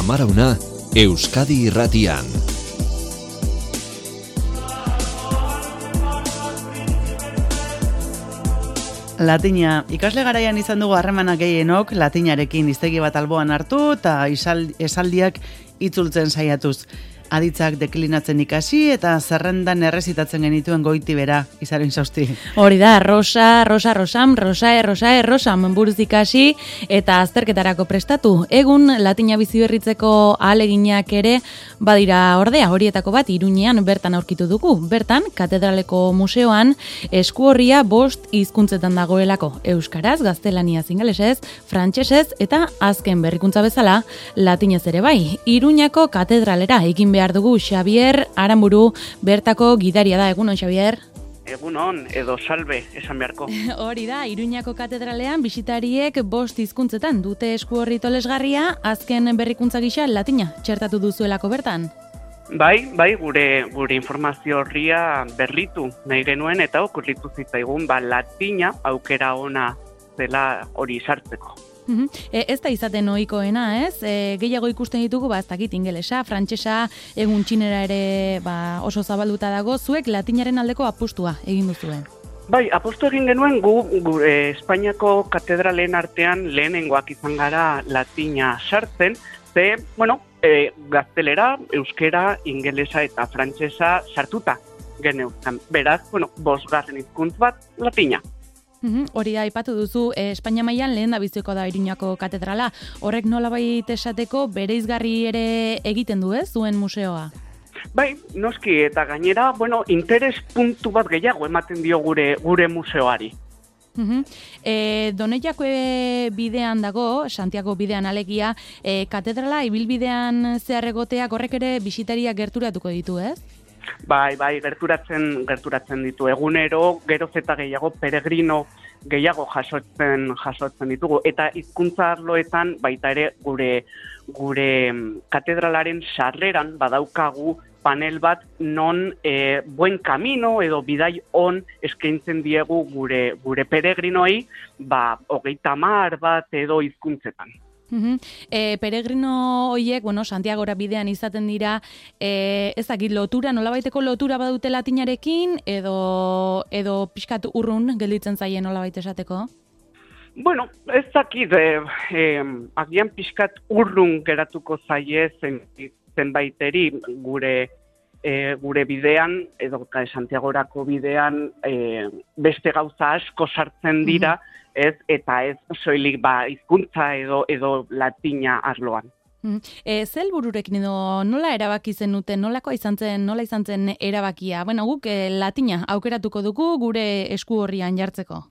Amarauna, Euskadi Irratian. Latina. Ikasle garaian izan dugu harremanak gehienok latinarekin hiztegi bat alboan hartu eta esaldiak itzultzen saiatuz. Aditzak deklinatzen ikasi eta zerrendan errezitatzen genituen goiti bera, Izaro Insausti. Hori da, rosa, rosam, rosam buruz ikasi eta azterketarako prestatu. Egun latina bizi berritzeko ahaleginak ere badira ordea, horietako bat Iruñean bertan aurkitu dugu. Bertan, Katedraleko Museoan eskuorria 5 hizkuntzetan dagoelako. Euskaraz, gaztelaniaz, ingelesez, frantsesez eta azken berrikuntza bezala latinez ere bai. Iruñako katedralera egin behar dugu Xabier Aranburu bertako gidaria da. Egunon, Xabier? Egunon, edo salve, esan beharko. Hori da, Iruñako katedralean bisitariek 5 hizkuntzetan dute eskuorri tolesgarria, azken berrikuntza gisa latina txertatu duzuelako bertan. Bai, gure informazio horria berritu nahi genuen eta okurritu zitzaigun, latina aukera ona zela hori sartzeko. Ez da izaten ohikoena, ez? Gehiago ikusten ditugu, ez dakit ingelesa, frantsesa, egun txinera ere oso zabalduta dago, zuek latinaren aldeko apustua egin duzuen. Bai, apustu egin genuen gure Espainiako katedralen artean lehenengoak izan gara latina sartzen, gaztelera, euskera, ingelesa eta frantsesa sartuta geneuzkan. Beraz, 5. hizkuntz bat latina. Hori da, aipatu duzu, Espainia mailan lehen da biziko da Iruñako katedrala. Horrek nolabait esateko bereizgarri ere egiten du, ez, zuen museoa? Bai, noski, eta gainera, interes puntu bat gehiago ematen dio gure museoari. Doneiako bidean dago, Santiago bidean alegia, katedrala ibilbidean zehar egoteak horrek ere bisitariak gerturatuko ditu, ez? Bai, gerturatzen ditu. Egunero, geroz eta gehiago, peregrino gehiago jasotzen ditugu. Eta hizkuntza arloetan, baita ere, gure katedralaren sarreran badaukagu panel bat non buen camino edo bidai on eskaintzen diegu gure peregrinoi, 30 bat edo hizkuntzetan. Peregrino horiek, Santiagora bidean izaten dira, ezakit lotura, nolabaiteko lotura badute latinarekin, edo pixkat urrun gelditzen zaien nolabait esateko? Ez dakit, agian pixkat urrun geratuko zaie zenbaiteri gure bidean, edo Santiagorako bidean, beste gauza asko sartzen dira, eta ez soilik hizkuntza edo latina arloan. Ze helbururekin edo nola erabaki zenuten, nola izan zen erabakia? Guk latina aukeratuko dugu gure esku horrian jartzeko.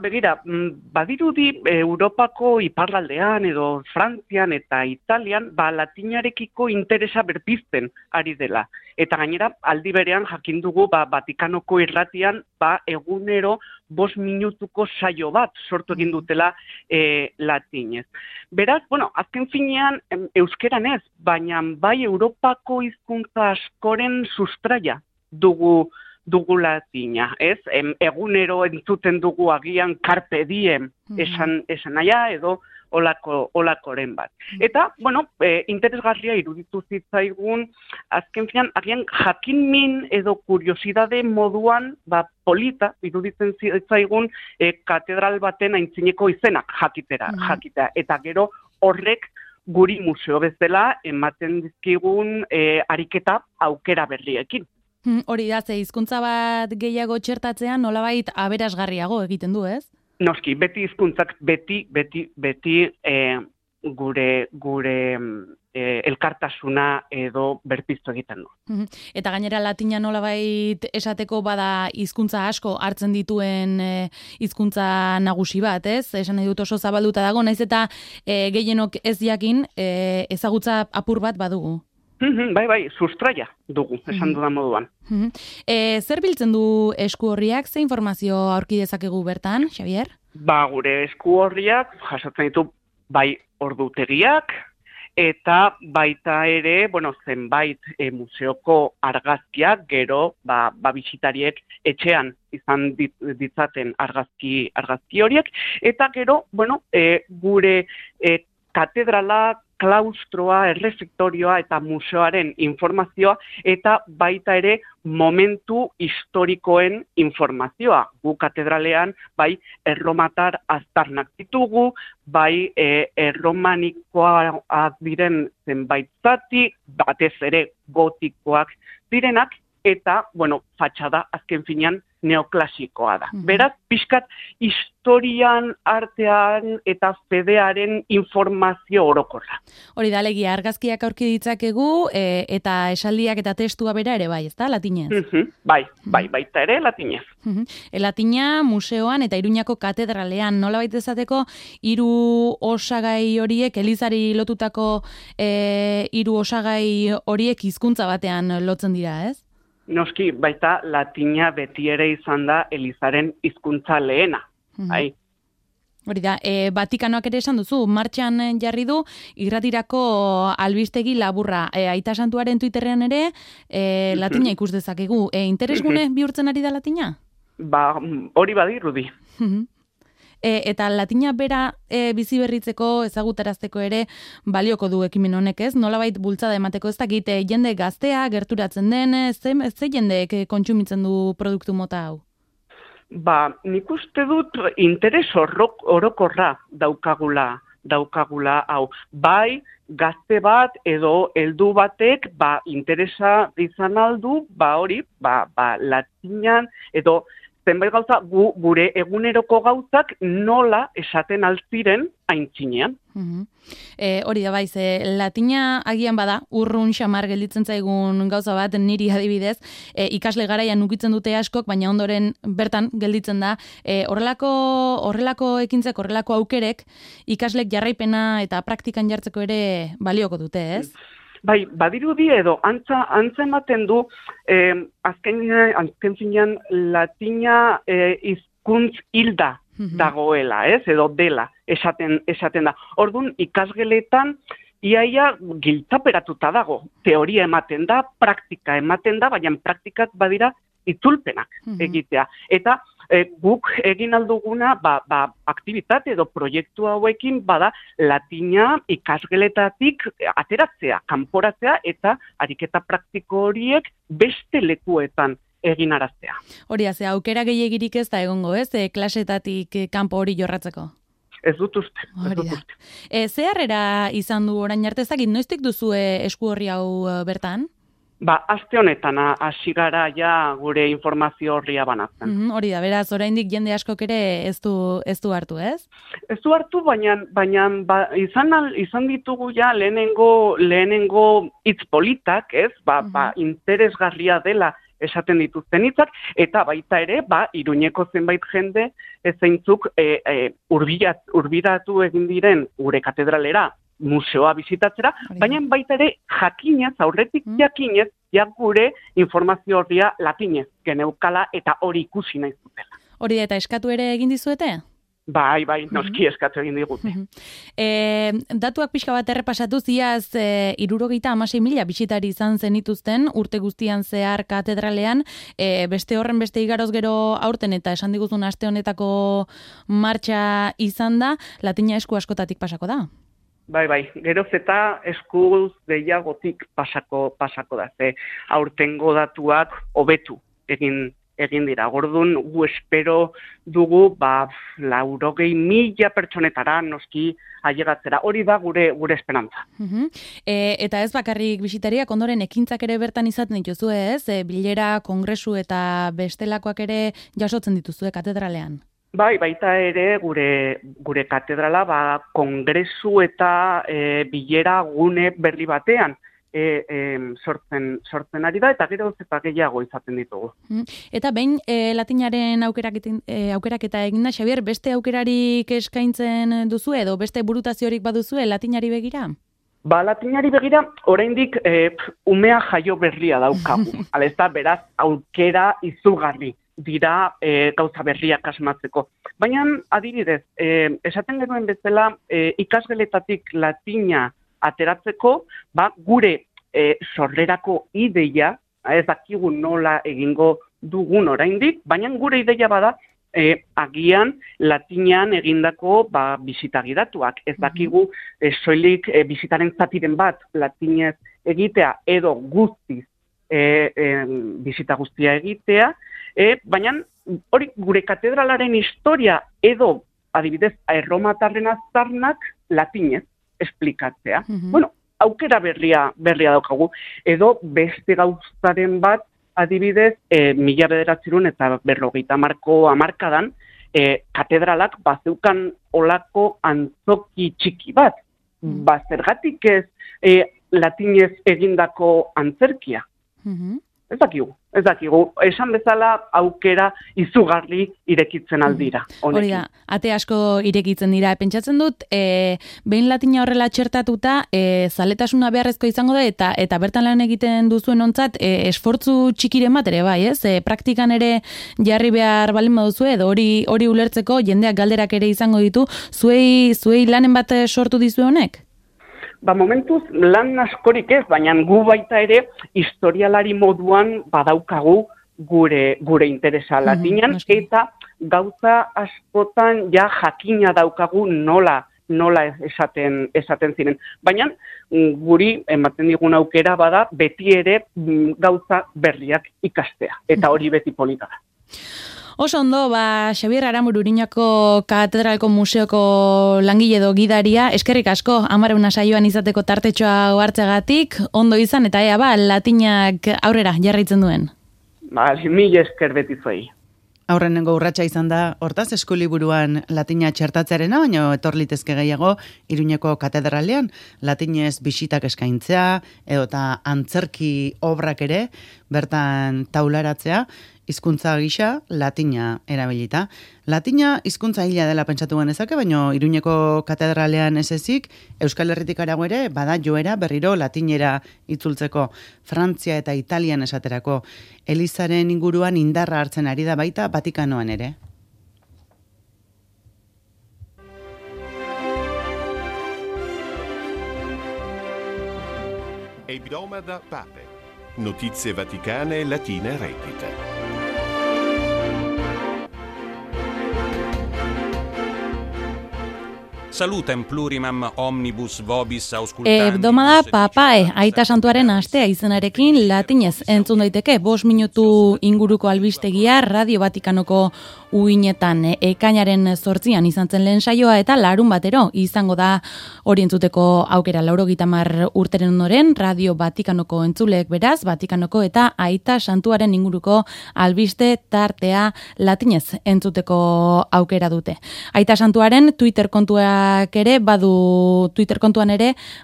Begira, badirudi Europako iparraldean edo Frantzian eta Italian latinarekiko interesa berpizten ari dela. Eta gainera, aldi berean jakin dugu Vatikanoko irratian egunero 5 minutuko saio bat sortu egin dutela latinez. Beraz, azken finean euskeran ez, baina bai Europako hizkuntza askoren sustraia dugu latina, ez? Egunero entzuten dugu agian carpe diem esan naia edo olakoren bat. Eta, interesgarria iruditu zitzaigun, azken finan, agian jakinmin edo kuriosidade moduan, polita iruditzen zitzaigun katedral baten aintzineko izenak jakitea. Eta gero horrek guri museo bezala ematen dizkigun ariketa aukera berriekin. Hori da, ze hizkuntza bat gehiago txertatzean nolabait aberasgarriago egiten du, ez? Noski, beti hizkuntzak beti gure elkartasuna edo berpiztu egiten du. Eta gainera latina nolabait esateko bada hizkuntza asko hartzen dituen hizkuntza nagusi bat, ez? Esan nahi dut oso zabalduta dago, naiz eta gehienok ez jakin ezagutza apur bat badugu. Bai, sustraia dugu, esan dudan moduan. Zer biltzen du esku horriak, ze informazio aurki dezakegu bertan, Xabier? Gure esku horriak jasotzen ditu bai ordutegiak, eta baita ere, zenbait museoko argazkiak, gero, bisitariek etxean izan ditzaten argazki horiek, eta gero, gure katedrala klaustroa, errefektorioa eta museoaren informazioa, eta baita ere momentu historikoen informazioa. Gu katedralean, bai, erromatar aztarnak ditugu, bai, erromanikoak diren zenbait zati, batez ere gotikoak direnak, eta, bueno, fatxada azken finean neoklasikoa da. Beraz, pixkat historian, artean eta fedearen informazio orokorra. Hori da, alegia, argazkiak aurki ditzakegu, eta esaldiak eta testua bera ere bai, ezta, latinez? Baita ere, latinez. Latina museoan eta Iruñako katedralean, nola baita esateko, 3 osagai horiek, elizari lotutako 3 osagai horiek hizkuntza batean lotzen dira, ez? Noski, baita latina beti ere izan da Elizaren hizkuntza lehena. Hori da, Vatikanoak ere esan duzu, martxan jarri du, irratirako albistegi laburra. Aita Santuaren Twitterrean ere, latina ikus dezakegu. Interesgune bihurtzen ari da latina? Hori badirudi. Eta latina bera bizi berritzeko, ezagutarazteko ere balioko du ekimen honek, ez? Nolabait bultzada emateko, ez dakit, jende gaztea gerturatzen den, ze jendeek kontsumitzen du produktu mota hau? Nik uste dut interes orokorra daukagula hau. Bai, gazte bat edo heldu batek, interesa izan aldu, hori, latinan edo zenbait gauza, gure eguneroko gauzak nola esaten altziren aintzinean. Hori da baiz, latina agian bada, urrun xamar gelditzen zaigun gauza bat, niri adibidez, ikasle garaian ukitzen dute askok, baina ondoren bertan gelditzen da, horrelako ekintzek, horrelako aukerek, ikaslek jarraipena eta praktikan jartzeko ere balioko dute, ez? Bai, badirudi edo antza ematen du azken finean latina hizkuntz hilda dagoela, ez? Edo dela esaten da. Orduan ikasgeletan iaia giltzaperatuta dago. Teoria ematen da, praktika ematen da, baina praktikak badira itzulpenak egitea. Eta guk egin alduguna aktibitate edo proiektu hauekin bada latina ikasgeletatik ateratzea, kanporatzea eta ariketa praktiko horiek beste lekuetan eginaraztea. Hori, aukera gehiegirik ez da egongo, ez? Klasetatik kanpo hori jorratzeko? Ez dut uste. Ze harrera izan du orain arte, ezakit, noiztik duzu esku horri hau bertan? Aste honetan hasi gara ja gure informazio horria banatzen. Hori da, beraz, oraindik jende askok ere ez du hartu, ez? Ez du hartu, baina izan ditugu ja lehenengo hitz politak, ez? Interesgarria dela esaten dituzten hitzak, eta baita ere, Iruñeko zenbait jende zeintzuk urbiratu egin diren gure katedralera, museoa bizitatzera, baina baita ere jakinez, aurretik jakinez, gure informazio horria latinez geneukala eta hori ikusi nahi zutela. Hori eta eskatu ere egin dizuete? Bai, noski eskatu egin digute. Datuak pixka bat errepasatu ziaz 76.000 bisitari izan zenituzten urte guztian zehar katedralean, beste horren beste igaroz gero aurten eta esan diguzun aste honetako martxa izan da, latina esku askotatik pasako da? Bai, geroz eta eskuz gehiagotik pasako da, ze aurtengo datuak hobetu egin dira. Gordun, gu espero dugu, 80.000 pertsonetara noski ailegatzera. Hori da gure esperantza. Eta ez bakarrik bisitariak ondoren ekintzak ere bertan izaten dituzu, ez? Bilera, kongresu eta bestelakoak ere jasotzen dituzue katedralean. Bai, baita ere gure katedrala kongresu eta bilera gune berri batean sortzen ari da, eta gero eta gehiago izaten ditugu. Eta behin latinaren aukeraketa eginda, Xabier, beste aukerarik eskaintzen duzu edo beste burutaziorik baduzue latinari begira? Latinari begira, oraindik umea jaio berria daukagu. Ez da, beraz, aukera izugarri dira gauza berriak asmatzeko. Baina, adibidez, esaten genuen bezala, ikasgeletatik latina ateratzeko, gure sorrerako ideia, ez dakigu nola egingo dugun oraindik, baina gure ideia bada agian latinean egindako bisita gidatuak. Ez dakigu soilik bisitaren zatiren bat latinez egitea edo guztiz bisita guztia egitea, baina hori gure katedralaren historia edo adibidez erromatarren aztarnak latinez esplikatzea. Bueno, aukera berria daukagu, edo beste gauzaren bat, adibidez, 1950 hamarkadan, katedralak bazeukan olako antzoki txiki bat. Zergatik ez latinez egindako antzerkia. Ez dakigu. Esan bezala aukera izugarri irekitzen aldira. Hori da, ate asko irekitzen dira. Pentsatzen dut, behin latina horrela txertatuta, zaletasuna beharrezko izango da, eta bertan lan egiten duzuen ontzat, esfortzu txikiren bat ere bai, ez? Praktikan ere jarri behar balin baduzu, edo hori ulertzeko jendeak galderak ere izango ditu, zuei lanen bat sortu dizue honek? Momentuz lan askorik ez, baina gu baita ere historialari moduan badaukagu gure interesa latinan, eta gauza askotan ja jakina daukagu nola esaten ziren. Baina guri ematen digun aukera bada beti ere gauza berriak ikastea, eta hori beti polita da. Oso ondo, Xabier Aramuru Iruñako Katedralko Museoko langile edo gidaria, eskerrik asko, 10 saioan izateko tartetxoa hartzegatik, ondo izan, eta latinak aurrera jarraitzen duen. Mila esker beti zuei. Aurrenengo urratsa izan da, hortaz eskuliburuan latina txertatzearena, baina etorlitezke gehiago Iruñeko katedralean latinez bisitak eskaintzea, edota antzerki obrak ere, bertan taularatzea, hizkuntza gisa latina erabilita. Latina hizkuntza hila dela pentsatu genezake, baina Iruñeko katedralean ez ezik, Euskal Herritik harago ere, bada joera berriro latinera itzultzeko, Frantzia eta Italian esaterako. Elizaren inguruan indarra hartzen ari da baita Vatikanoan ere. Hebdomada Pape. Notizie vaticane latine reddite. Salutem plurimam omnibus vobis auscultandibus. Hebdomada Papae, Aita Santuaren astea izenarekin latinez entzun daiteke 5 minutu inguruko albistegia Radio Vatikanoko uinetan. Ekainaren 8an izan zen lehen saioa eta larun batero izango da hori entzuteko aukera. 90 urteren ondoren Radio Vatikanoko entzuleek beraz, Vatikanoko eta Aita Santuaren inguruko albiste tartea latinez entzuteko aukera dute. Aita Santuaren Twitter kontuan ere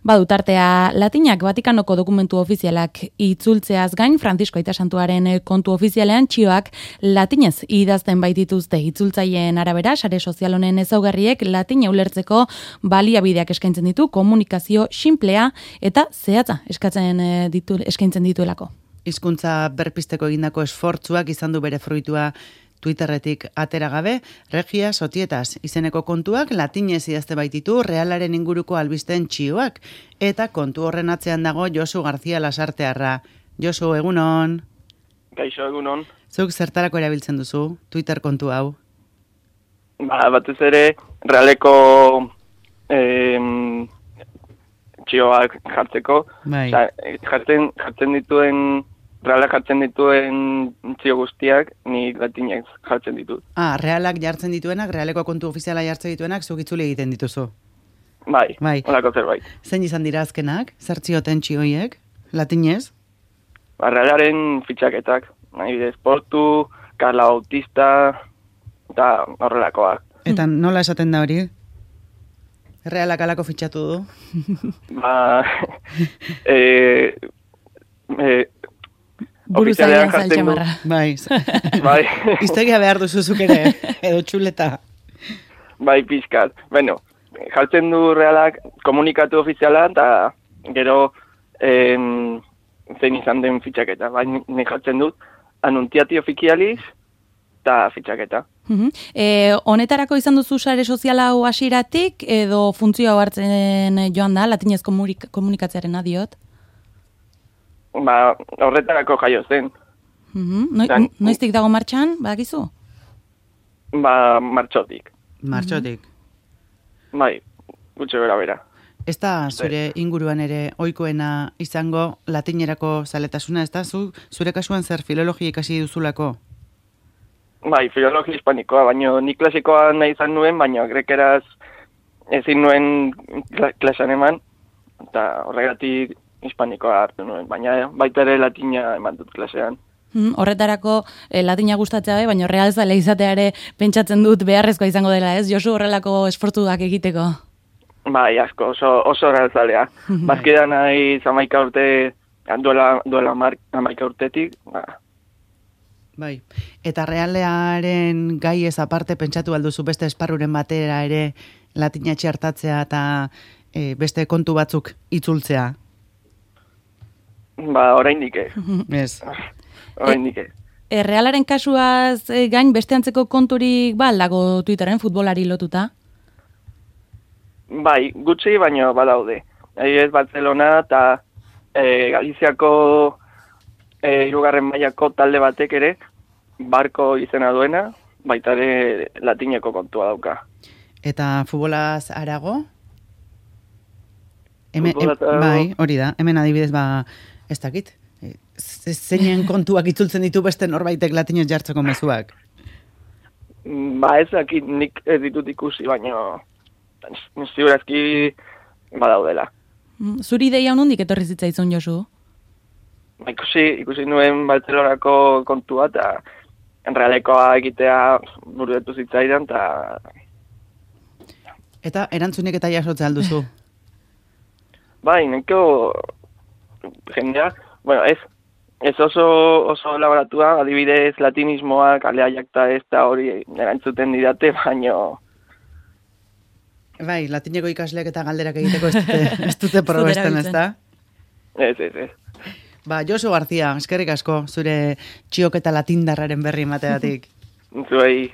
badu tartea latinak. Vatikanoko dokumentu ofizialak itzultzeaz gain, Francisco Aita Santuaren kontu ofizialean txioak latinez idazten baitituzte. Itzultzaileen arabera, sare sozial honen ezaugarriek latina ulertzeko baliabideak eskaintzen ditu, komunikazio sinplea eta zehatza eskaintzen dituelako. Hizkuntza berpisteko egindako esfortzuak izan du bere fruitua Twitterretik atera gabe, Regia Sotietas izeneko kontuak latinez idazte baititu Realaren inguruko albisten txioak, eta kontu horren atzean dago Josu García Lasartearra. Josu, egunon? Kaixo, egunon. Zuk zertarako erabiltzen duzu Twitter kontu hau? Batez ere, Realeko txioak jartzeko. Bai. Jartzen dituen... Realak jartzen dituen txio guztiak, ni latinak jartzen ditut. Realak jartzen dituenak, Realeko kontu ofiziala jartzen dituenak, zuk itzuli egiten dituzu. Bai. Olako zerbait. Zein izan dira azkenak? Zer txioten txioiek? Latinez? Realaren fitxaketak. Portu, Carla Bautista, eta horrelakoak. Eta nola esaten da hori? Realak alako fitxatu du? Buruzailan zaltxamarra. Bai. Bai. Iztegia behar duzuzuk ere, edo txuleta. Bai, pixkat. Bueno, jartzen du Realak komunikatu ofiziala, eta gero zein izan den fitxaketa. Bai, ni jartzen dut anuntiati ofizializ eta fitxaketa. Honetarako izan duzu sare soziala hau hasieratik, edo funtzio hau hartzen joan da, latinez komunikatzearen adiot? Horretarako jaio zen. Noiztik dago martxan, badakizu? Martxotik. Martxotik. Bai, gutxe bera. Ez da zure inguruan ere ohikoena izango latinerako zaletasuna, ez da? Zure kasuan zer filologia ikasi duzulako? Bai, filologia hispanikoa, baina nik klasikoa nahi izan nuen, baina grekeraz ezin nuen klasean eman, eta horregatik hispanikoa hartu nuen, baina baita ere latina eman dut klasean. Horretarako latina gustatzea baina realzale izatea ere pentsatzen dut beharrezkoa izango dela, ez? Josu horrelako esfortuak egiteko. Bai, asko, oso realzalea. Bazkida nahi 11 urte, duela 11 urtetik, Bai, eta realearen gai ez aparte pentsatu alduzu beste esparruren batera ere latina txertatzea eta beste kontu batzuk itzultzea? Oraindik Ez. Oraindik Realaren kasuaz gain beste antzeko konturik dago Twitteren futbolari lotuta? Bai, gutxi, baina badaude. Ez Barcelona eta Galiziako hirugarren mailako talde batek ere, Barko izena duena, baita ere latineko kontua dauka. Eta futbolaz arago? Bai, hori da. Hemen adibidez, ez dakit. Zeinen kontuak itzultzen ditu beste norbaitek latinez jartzeko mezuak? Ez dakit nik ez ditut ikusi, baina ziurazki badaudela. Zuri ideia honundik etorri zitzaizun, Josu? Ikusi nuen Barcelonako kontua eta Realekoa egitea buruetu zitzaidan Eta erantzunik eta jasotzea alduzu? Bai, neko jendea, ez oso elaboratua, adibidez latinismoak, aleaiak eta ez da hori erantzuten didate, baino... Bai, latineko ikasleak eta galderak egiteko ez dute probesten, ez da? Ez. Josu García, eskerrik asko, zure txioketa latindarraren berri emateatik. Zuei.